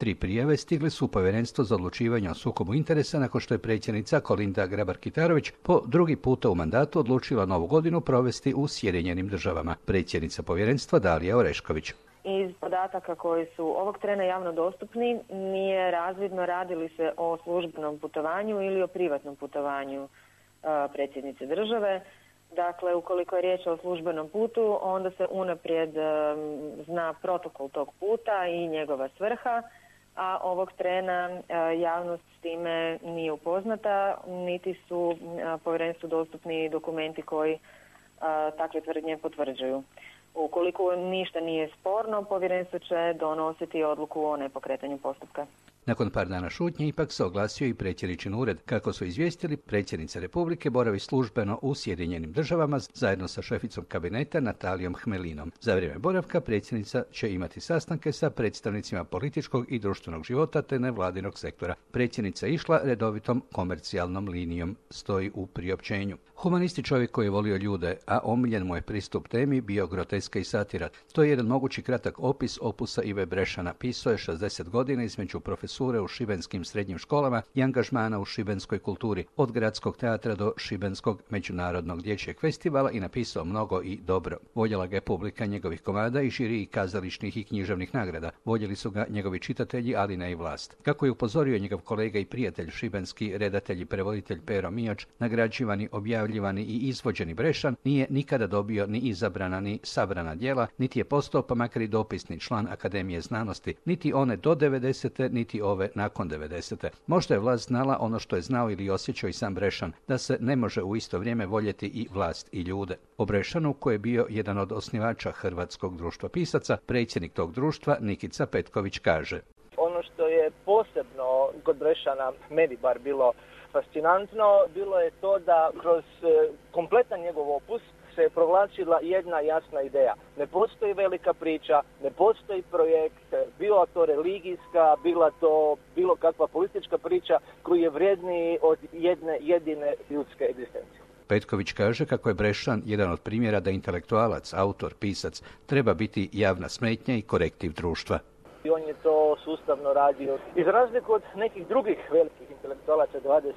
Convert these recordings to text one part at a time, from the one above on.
3 prijave stigle su u Povjerenstvo za odlučivanje o sukobu interesa nakon što je predsjednica Kolinda Grabar-Kitarović po drugi puta u mandatu odlučila novu godinu provesti u Sjedinjenim Državama. Predsjednica povjerenstva Dalija Orešković. Iz podataka koji su ovog trena javno dostupni nije razvidno radi li se o službenom putovanju ili o privatnom putovanju predsjednice države. Dakle, ukoliko je riječ o službenom putu, onda se unaprijed zna protokol tog puta i njegova svrha, a ovog trena javnost s time nije upoznata, niti su povjerenstvu dostupni dokumenti koji takve tvrdnje potvrđuju. Ukoliko ništa nije sporno, povjerenstvo će donositi odluku o nepokretanju postupka. Nakon par dana šutnje ipak se oglasio i predsjedničin ured. Kako su izvijestili, predsjednica Republike boravi službeno u Sjedinjenim Državama zajedno sa šeficom kabineta Natalijom Hmelinom. Za vrijeme boravka predsjednica će imati sastanke sa predstavnicima političkog i društvenog života te nevladinog sektora. Predsjednica je išla redovitom komercijalnom linijom, stoji u priopćenju. Humanisti čovjek koji je volio ljude, a omiljen mu je pristup temi bio groteska i satira. To je jedan mogući kratak opis opusa Ive Brešana. Pisao je 60 godina između profesure u šibenskim srednjim školama i angažmana u šibenskoj kulturi, od gradskog teatra do šibenskog međunarodnog dječjeg festivala i napisao mnogo i dobro. Voljela ga je publika njegovih komada i žiriji kazališnih i književnih nagrada. Voljeli su ga njegovi čitatelji, ali ne i vlast. Kako je upozorio njegov kolega i prijatelj, šibenski redatelj i prevoditelj Pero Mijač, nagrađivani, objavljivani i izvođeni Brešan nije nikada dobio ni izabrana ni sabrana djela, niti je postao pa makar i dopisni član Akademije znanosti, niti one do 90. niti ove nakon 90. Možda je vlast znala ono što je znao ili osjećao i sam Brešan, da se ne može u isto vrijeme voljeti i vlast i ljude. O Brešanu, koji je bio jedan od osnivača Hrvatskog društva pisaca, predsjednik tog društva Nikica Petković kaže: Ono što je posebno kod Brešana, meni bar bilo fascinantno, bilo je to da kroz kompletan njegov opus se je provlačila jedna jasna ideja. Ne postoji velika priča, ne postoji projekt, bila to religijska, bila to bilo kakva politička priča koji je vrijedniji od jedne jedine ljudske egzistencije. Petković kaže kako je Brešan jedan od primjera da intelektualac, autor, pisac treba biti javna smetnja i korektiv društva. I on je to sustavno radio. I za razliku od nekih drugih velikih intelektualaca 20.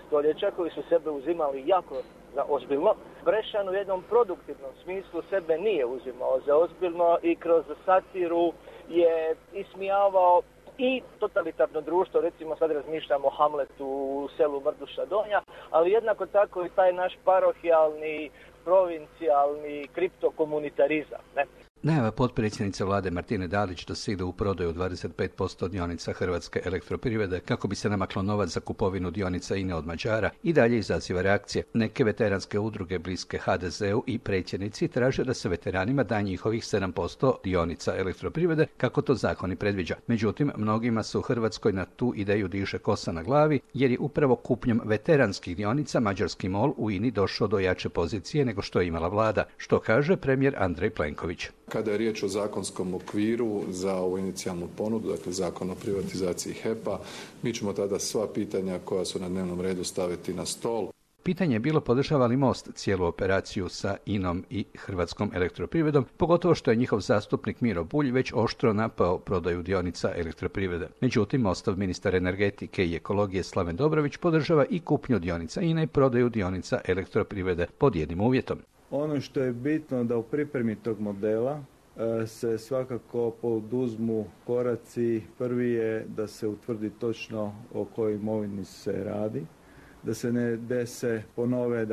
stoljeća koji su sebe uzimali jako za ozbiljno, Brešan u jednom produktivnom smislu sebe nije uzimao za ozbiljno i kroz satiru je ismijavao i totalitarno društvo, recimo sad razmišljamo o Hamletu u selu Mrduša Donja, ali jednako tako i taj naš parohijalni, provincijalni kriptokomunitarizam, ne? Najava potpredsjednice vlade Martine Dalić da se ide u prodaju 25% dionica Hrvatske elektroprivrede kako bi se namaklo novac za kupovinu dionica INE od Mađara i dalje izaziva reakcije. Neke veteranske udruge bliske HDZ-u i predsjednici traže da se veteranima da njihovih 7% dionica elektroprivrede kako to zakoni predviđa. Međutim, mnogima se u Hrvatskoj na tu ideju diže kosa na glavi jer je upravo kupnjom veteranskih dionica mađarski MOL u INI došao do jače pozicije nego što je imala vlada, što kaže premijer Andrej Plenković. Kada je riječ o zakonskom okviru za ovu inicijalnu ponudu, dakle zakon o privatizaciji HEP-a, mi ćemo tada sva pitanja koja su na dnevnom redu staviti na stol. Pitanje je bilo podržava li Most cijelu operaciju sa INom i Hrvatskom elektroprivredom, pogotovo što je njihov zastupnik Miro Bulj već oštro napao prodaju dionica elektroprivrede. Međutim, Mostov ministar energetike i ekologije Slaven Dobrović podržava i kupnju dionica INE i prodaju dionica elektroprivrede pod jednim uvjetom. Ono što je bitno da u pripremi tog modela se svakako poduzmu koraci. Prvi je da se utvrdi točno o kojoj imovini se radi, da se ne dese ponove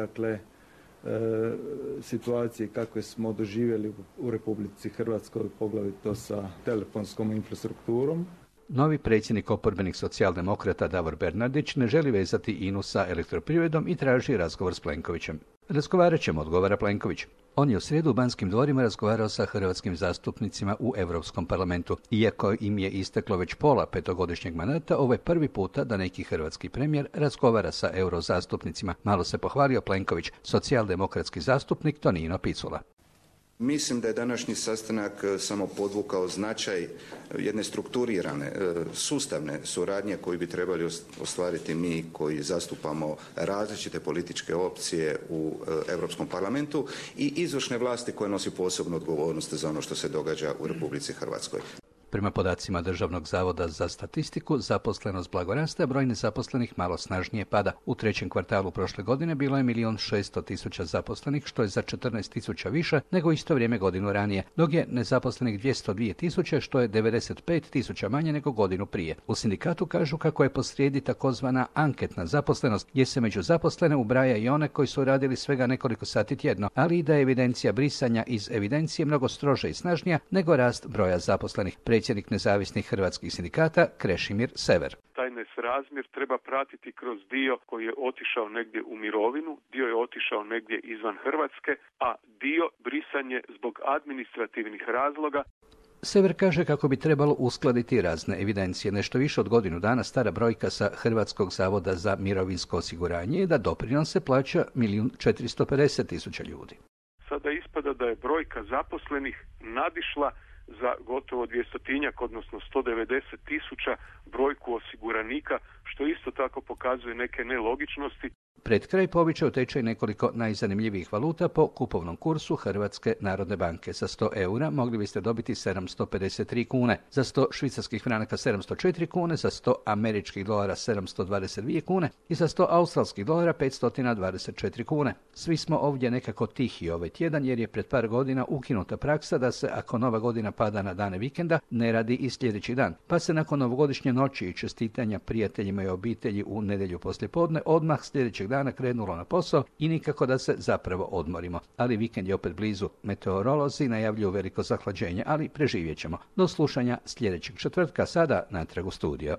situacije kakve smo doživjeli u Republici Hrvatskoj, poglavito sa telefonskom infrastrukturom. Novi predsjednik oporbenih socijaldemokrata Davor Bernardić ne želi vezati INU sa elektroprivredom i traži razgovor s Plenkovićem. Razgovarat ćemo, odgovara Plenković. On je u srijedu u Banskim dvorima razgovarao sa hrvatskim zastupnicima u Europskom parlamentu. Iako im je isteklo već pola petogodišnjeg mandata, ovo je prvi puta da neki hrvatski premijer razgovara sa eurozastupnicima. Malo se pohvalio Plenković, socijaldemokratski zastupnik Tonino Picula. Mislim da je današnji sastanak samo podvukao značaj jedne strukturirane, sustavne suradnje koju bi trebali ostvariti mi koji zastupamo različite političke opcije u Europskom parlamentu i izvršne vlasti koje nosi posebnu odgovornost za ono što se događa u Republici Hrvatskoj. Prema podacima Državnog zavoda za statistiku, zaposlenost blago raste, a broj nezaposlenih malo snažnije pada. U trećem kvartalu prošle godine bilo je 1.600.000 zaposlenih, što je za 14.000 više nego isto vrijeme godinu ranije, dok je nezaposlenih 202.000, što je 95.000 manje nego godinu prije. U sindikatu kažu kako je posrijedi takozvana anketna zaposlenost, gdje se među zaposlene ubraja i one koji su radili svega nekoliko sati tjedno, ali i da je evidencija brisanja iz evidencije mnogo stroža i snažnija nego rast broja zaposlenih. Predsjednik nezavisnih hrvatskih sindikata Krešimir Sever. Taj nesrazmjer treba pratiti kroz dio koji je otišao negdje u mirovinu, dio je otišao negdje izvan Hrvatske, a dio brisanje zbog administrativnih razloga. Sever kaže kako bi trebalo uskladiti razne evidencije. Nešto više od godinu dana stara brojka sa Hrvatskog zavoda za mirovinsko osiguranje je da doprinose plaća 1.450.000 ljudi. Sada ispada da je brojka zaposlenih nadišla za gotovo 200-tinjak, odnosno 190.000 brojku osiguranika, što isto tako pokazuje neke nelogičnosti. Pred kraj povećao tečaj nekoliko najzanimljivijih valuta po kupovnom kursu Hrvatske narodne banke. Za 100 eura mogli biste dobiti 753 kune, za 100 švicarskih franaka 704 kune, za 100 američkih dolara 722 kune i za 100 australskih dolara 524 kune. Svi smo ovdje nekako tihi ovaj tjedan jer je pred par godina ukinuta praksa da se, ako nova godina pada na dane vikenda, ne radi i sljedeći dan. Pa se nakon novogodišnje noći i čestitanja prijateljima i obitelji u nedjelju poslijepodne odmah sljedećeg dana krenulo na posao i nikako da se zapravo odmorimo. Ali vikend je opet blizu. Meteorolozi najavljuju veliko zahlađenje, ali preživjet ćemo. Do slušanja sljedećeg četvrtka, sada natrag u studio.